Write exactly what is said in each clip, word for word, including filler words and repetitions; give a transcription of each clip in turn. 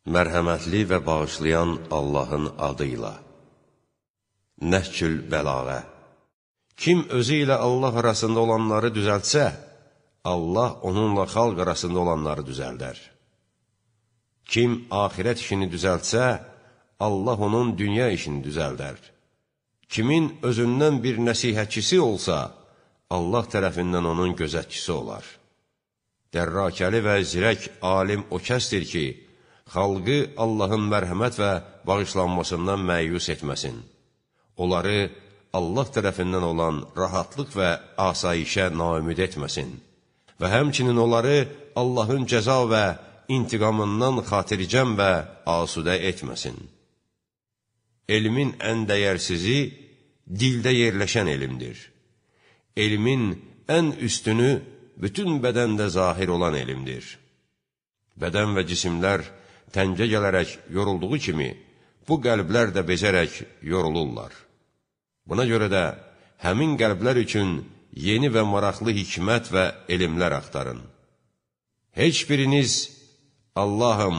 Mərhəmətli və bağışlayan Allahın adıyla. Nəhcül bəlağə. Kim özü ilə Allah arasında olanları düzəltsə, Allah onunla xalq arasında olanları düzəldər. Kim axirət işini düzəltsə, Allah onun dünya işini düzəldər. Kimin özündən bir nəsihətçisi olsa, Allah tərəfindən onun gözətçisi olar. Dərrakəli və zirək alim o kəsdir ki, xalqı Allahın mərhəmət və bağışlanmasından məyus etməsin. Onları Allah tərəfindən olan rahatlıq və asayişə naümid etməsin və həmçinin onları Allahın cəza və intiqamından xatircəm və asudə etməsin. Elmin ən dəyərsizi dildə yerləşən elmdir. Elmin ən üstünü bütün bədəndə zahir olan elmdir. Bədən və cisimlər təngə gələrək yorulduğu kimi, bu qəlblər də bezərək yorulurlar. Buna görə də həmin qəlblər üçün yeni və maraqlı hikmət və elmlər axtarın. Heç biriniz, Allahım,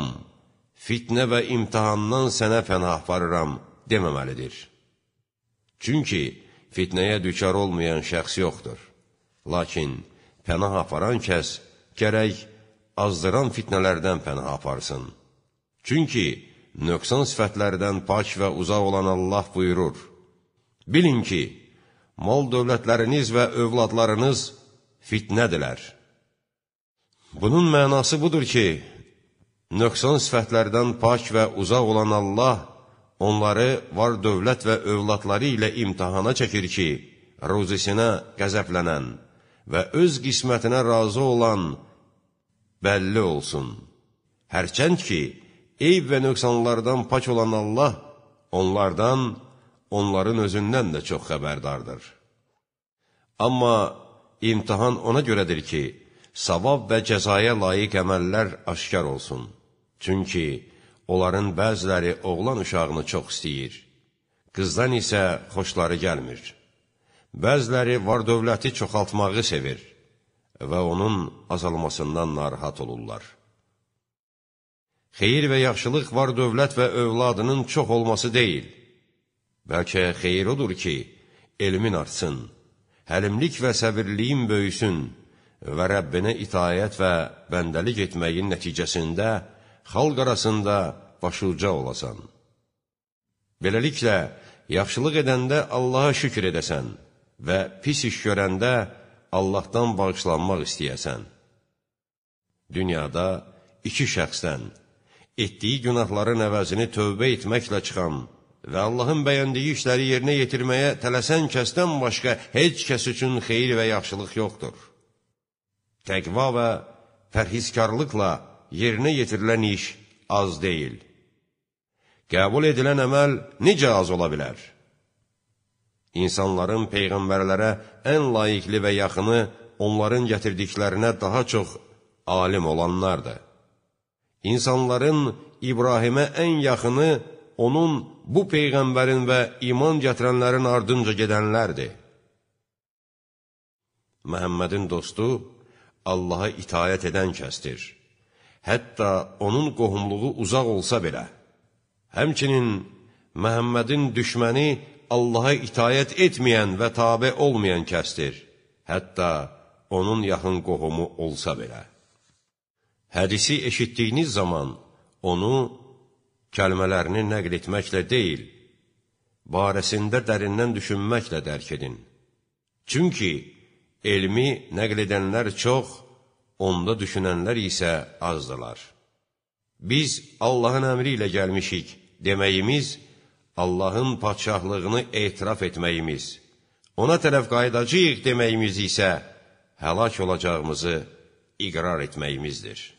fitnə və imtihandan sənə pənah aparıram deməməlidir. Çünki fitnəyə düçar olmayan şəxs yoxdur. Lakin pənah aparan kəs gərək azdıran fitnələrdən pənah aparsın. Çünki nöqsan sifətlərdən pak və uzaq olan Allah buyurur: Bilin ki, mal dövlətləriniz və övladlarınız fitnədilər. Bunun mənası budur ki, nöqsan sifətlərdən pak və uzaq olan Allah onları var dövlət və övladları ilə imtihana çəkir ki, ruzisinə qəzəblənən və öz qismətinə razı olan bəlli olsun. Hərçənd ki, eyb və nöqsanlardan pak olan Allah onlardan, onların özündən də çox xəbərdardır. Amma imtihan ona görədir ki, savab və cəzaya layiq əməllər aşkar olsun. Çünki onların bəziləri oğlan uşağını çox istəyir, qızdan isə xoşları gəlmir. Bəziləri var dövləti çoxaltmağı sevir və onun azalmasından narahat olurlar. Xeyir və yaxşılıq var dövlət və övladının çox olması deyil. Bəlkə xeyir odur ki, elmin artsın, həlimlik və səbirliyin böyüsün və Rəbbinə itayət və bəndəlik etməyin nəticəsində xalq arasında başuca olasan. Beləliklə, yaxşılıq edəndə Allaha şükür edəsən və pis iş görəndə Allahdan bağışlanmaq istəyəsən. Dünyada iki şəxsdən etdiyi günahların əvəzini tövbə etməklə çıxan və Allahın bəyəndiyi işləri yerinə yetirməyə tələsən kəsdən başqa heç kəs üçün xeyir və yaxşılıq yoxdur. Təqva və pərhizkarlıqla yerinə yetirilən iş az deyil. Qəbul edilən əməl necə az ola bilər? İnsanların peyğəmbərlərə ən layiqli və yaxını onların gətirdiklərinə daha çox alim olanlardır. İnsanların İbrahimə ən yaxını onun bu peyğəmbərin və iman gətirənlərin ardınca gedənlərdir. Məhəmmədin dostu Allaha itayət edən kəsdir. Hətta onun qohumluğu uzaq olsa belə. Həmçinin Məhəmmədin düşməni Allaha itayət etməyən və tabe olmayan kəsdir. Hətta onun yaxın qohumu olsa belə. Hədisi eşitdiyiniz zaman onu kəlmələrini nəql etməklə deyil, barəsində dərindən düşünməklə dərk edin. Çünki elmi nəql edənlər çox, onda düşünənlər isə azdılar. Biz Allahın əmri ilə gəlmişik deməyimiz, Allahın padşahlığını etiraf etməyimiz, ona tərəf qaydacağıq deməyimiz isə həlak olacağımızı iqrar etməyimizdir.